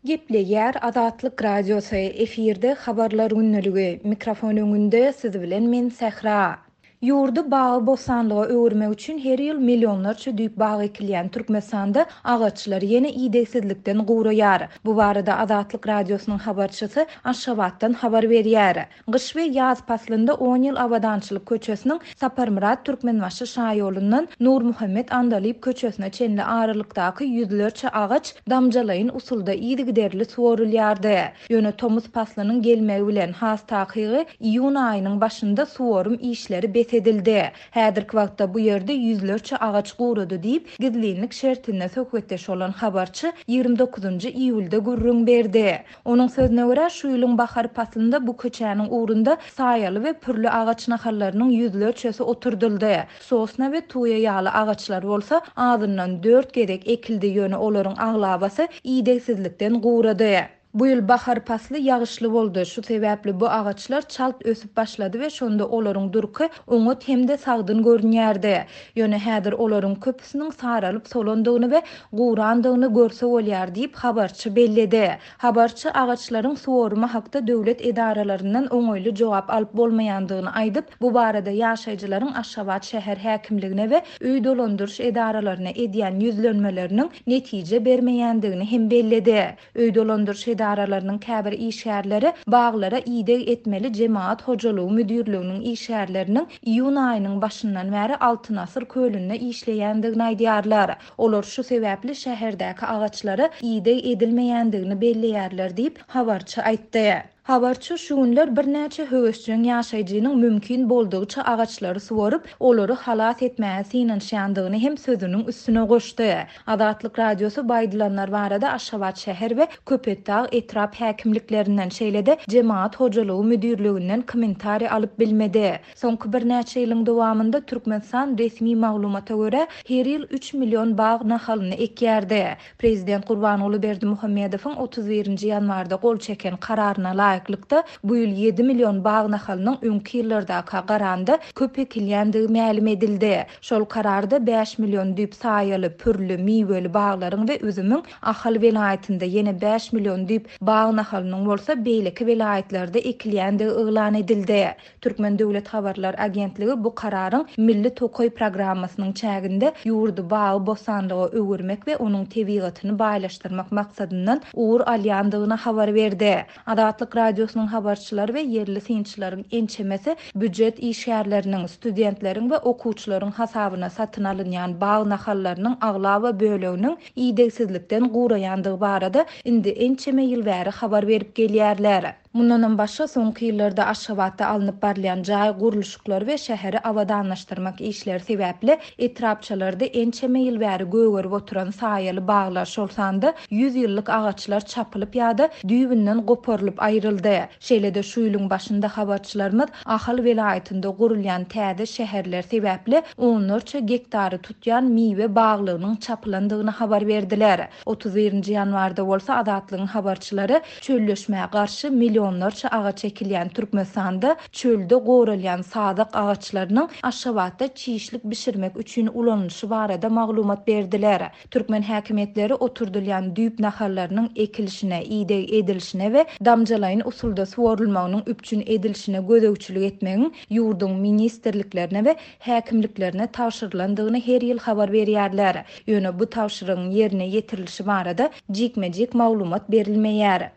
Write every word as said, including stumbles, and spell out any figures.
Gepleýär Azatlyk Radiosy, efirde Habarlar gündeligi, mikrofon öňünde siz bilen men Sähra. Ýurdy bagy-bossanlyga öwürmek üçin her ýyl millionlarça düýp bag ekilýän Türkmenistanda agaçlar ýene idegsizlikden guraýar. Bu barada Azatlyk Radiosynyň habarçysy Aşgabatdan habar berýär. Gyş we ýaz paslynda on ýyl Abadançylyk köçesiniň Saparmyrat Türkmenbaşy şaýolundan Nurmuhammet Andalyp köçesine çenli aralykdaky ýüzlerçe agaç damjalaýyn usulda yzygiderli suwarylýardy. Ýöne tomus paslynyň gelmegi bilen, has takygy iýun aýynyň başynda suwarym işleri bes edildi. Häzirki wagtda bu ýerde ýüzlerçe agaç gurady diýip, gizlinlik şertinde söhbetdeş bolan habarçy ýigrimi dokuzynjy iýulda gürrüň berdi. Onuň sözüne görä, şu ýylyň bahar paslynda bu köçäniň ugrunda saýaly we pürli agaç nahallarynyň ýüzlerçesi oturdyldy. Sosna we tuýa ýaly agaçlar bolsa azyndan dört gezek ekildi, ýöne olaryň aglabasy idegsizlikden gurady. Bu ýyl bahar pasly ýagyşly boldy. Şu sebäpli bu agaçlar çalt ösüp başlady we şonda olaryň durky oňat hem-de sagdyn görünýärdi. Ýöne häzir olaryň köpüsiniň saralyp solandygyny we gurandygyny görse bolýar diýip habarçy belledi. Habarçy agaçlaryň suwarymy hakda döwlet edaralaryndan oňaýly jogap alyp bolmaýandygyny aýdyp, bu barada ýaşaýjylaryň Aşgabat şäher häkimligine we öý dolandyryş edaralaryna edýän ýüzlenmeleriniň netije bermeýändigini hem belledi. Öý dolandyryş edaralarynyň käbir işgärleri baglara ideg etmeli jemaat hojalygy müdirliginiň işgärleriniň iýun aýynyň başyndan bäri Altyn Asyr kölünde işleýändigini aýdýarlar. Olar şu sebäpli şäherdäki agaçlara ideg edilmeýändigini belleýärler diýip habarçy aýtdy. Habarçy şu günler birnäçe höwesjeň ýaşaýjynyň mümkin boldugyça agaçlary suwaryp, olary halas etmäge synanyşýandygyny hem sözüniň üstüne goşdy. Azatlyk Radiosy bu aýdylanlar barada Aşgabat şäher we Köpetdag etrap häkimliklerinden, şeýle-de jemaat hojalygy müdirliginden kommentariý alyp bilmedi. Soňky birnäçe ýylyň dowamynda Türkmenistan resmi maglumata görä her ýyl üç million bag nahalyny ekýärdi. Prezident Gurbanguly Berdimuhamedowyň otuz birinji ýanwarda gol çeken kararyna laýyklykda bu ýyl ýedi million bag nahalynyň öňki ýyllardaka garanda köp ekilýändigi mälim edildi. Şol kararda bäş million düýp saýaly, pürli, miweli baglaryň we üzümiň Ahal welaýatynda ýene bäş million düýp bag nahalynyň bolsa beýleki welaýatlarda ekilýändigi yglan edildi. Türkmen Döwlet Habarlar Agentligi bu kararyň Milli Tokaý programmasynyň çäginde ýurdy bagy bossanlyga öwürmek we onuň tebigatyny baýlaşdyrmak maksadyndan ugur alýandygyny habar berdi. Azatlyk Radiosynyň habarçylary we ýerli synçylaryň ençemesi býujet işgärleriniň, studentleriň we okuwçylaryň hasabyna satyn alynýan bag nahallarynyň aglaba böleginiň idegsizlikden guraýandygy barada indi ençeme ýyl bäri habar berip gelýärler. Mundanam başga soňky ýyllarda Aşgabatda alnyp barylýan jaý gurluşyklary we şäheri abadanlaşdyrmak işleri sebäpli etrapçalarda ençeme ýyl bäri gögerip oturan saýaly baglar, şol sanda ýüz ýyllyk agaçlar çapylyp ýa-da düýbünden goparylyp aýryldy. Şeýle-de şu ýylyň başynda habarçylarymyz Ahal welaýatynda gurulýan täze şäherler sebäpli onlarça gektary tutýan miwe baglygynyň çapylandygyny habar berdiler. Otuz birinji ýanwarda bolsa Azatlygyň habarçylary çölleşmä garşy milyonlarça agaç ekilýän Türkmenistanda çölde goralýan sadak agaçlarynyň Aşgabatda çişlik bişirmek üçin ulanylyşy barada maglumat berdiler. Türkmen häkimiýetleri oturdylýan düýp nahallarynyň ekilişine, ideg edilişine we damjalaýyn usulda suwarylmagynyň üpjün edilişine gözegçilik etmegiň ýurduň ministrliklerine we häkimliklerine tabşyrylandygyny her ýyl habar berýärler. Ýöne bu tabşyrygyň ýerine ýetirilişi barada jikme-jik maglumat berilmeýär.